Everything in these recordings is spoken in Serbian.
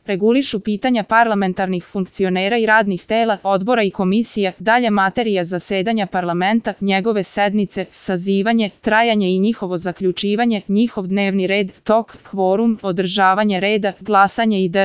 regulišu pitanja parlamentarnih funkcionera i radnih tela, odbora i komisija, dalja materija zasedanja parlamenta, njegove sednice, sazivanje, trajanje i njihovo zaključivanje, njihov dnevni red, tok, kvorum, održavanje reda, glasanje itd.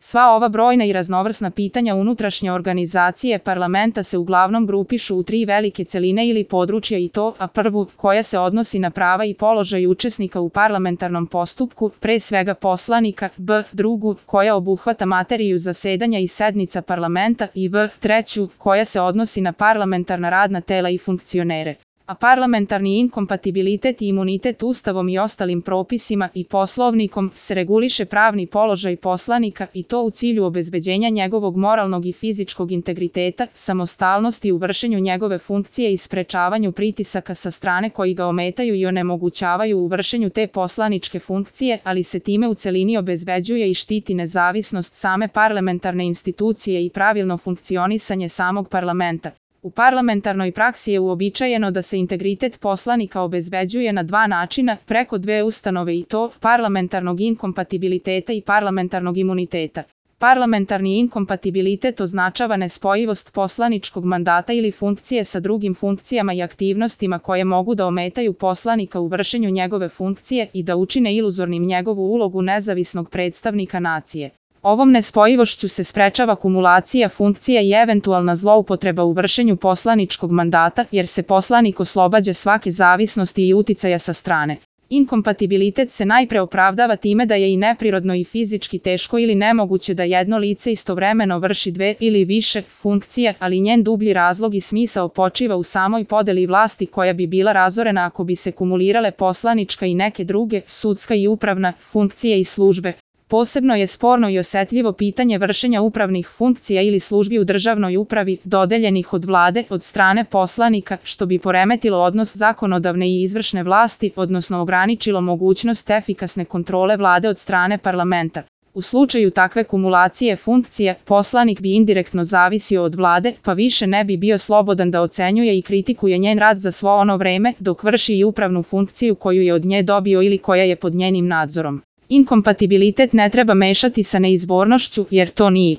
Sva ova brojna i raznovrsna pitanja unutrašnje organizacije parlamenta se uglavnom grupišu u tri velike celine ili područja i to, a prvu, koja se odnosi na prava i položaj učesnika u parlamentarnom postupku, pre svega poslanika, b. drugu, koja obuhvata materiju zasedanja i sednica parlamenta i v. treću, koja se odnosi na parlamentarna radna tela i funkcionere. A parlamentarni inkompatibilitet i imunitet Ustavom i ostalim propisima i poslovnikom se reguliše pravni položaj poslanika i to u cilju obezbeđenja njegovog moralnog i fizičkog integriteta, samostalnosti u vršenju njegove funkcije i sprečavanju pritisaka sa strane koji ga ometaju i onemogućavaju u vršenju te poslaničke funkcije, ali se time u celini obezbeđuje i štiti nezavisnost same parlamentarne institucije i pravilno funkcionisanje samog parlamenta. U parlamentarnoj praksi je uobičajeno da se integritet poslanika obezbeđuje na dva načina, preko dve ustanove i to, parlamentarnog inkompatibiliteta i parlamentarnog imuniteta. Parlamentarni inkompatibilitet označava nespojivost poslaničkog mandata ili funkcije sa drugim funkcijama i aktivnostima koje mogu da ometaju poslanika u vršenju njegove funkcije i da učine iluzornim njegovu ulogu nezavisnog predstavnika nacije. Ovom nespojivošću se sprečava kumulacija funkcija i eventualna zloupotreba u vršenju poslaničkog mandata, jer se poslanik oslobađa svake zavisnosti i uticaja sa strane. Inkompatibilitet se najpre opravdava time da je i neprirodno i fizički teško ili nemoguće da jedno lice istovremeno vrši dve ili više funkcije, ali njen dublji razlog i smisao počiva u samoj podeli vlasti koja bi bila razorena ako bi se kumulirale poslanička i neke druge, sudska i upravna, funkcije i službe. Posebno je sporno i osetljivo pitanje vršenja upravnih funkcija ili službi u državnoj upravi, dodeljenih od vlade, od strane poslanika, što bi poremetilo odnos zakonodavne i izvršne vlasti, odnosno ograničilo mogućnost efikasne kontrole vlade od strane parlamenta. U slučaju takve kumulacije funkcija, poslanik bi indirektno zavisio od vlade, pa više ne bi bio slobodan da ocenjuje i kritikuje njen rad za svo ono vreme, dok vrši i upravnu funkciju koju je od nje dobio ili koja je pod njenim nadzorom. Inkompatibilitet ne treba mešati sa neizbornošću, jer to nije.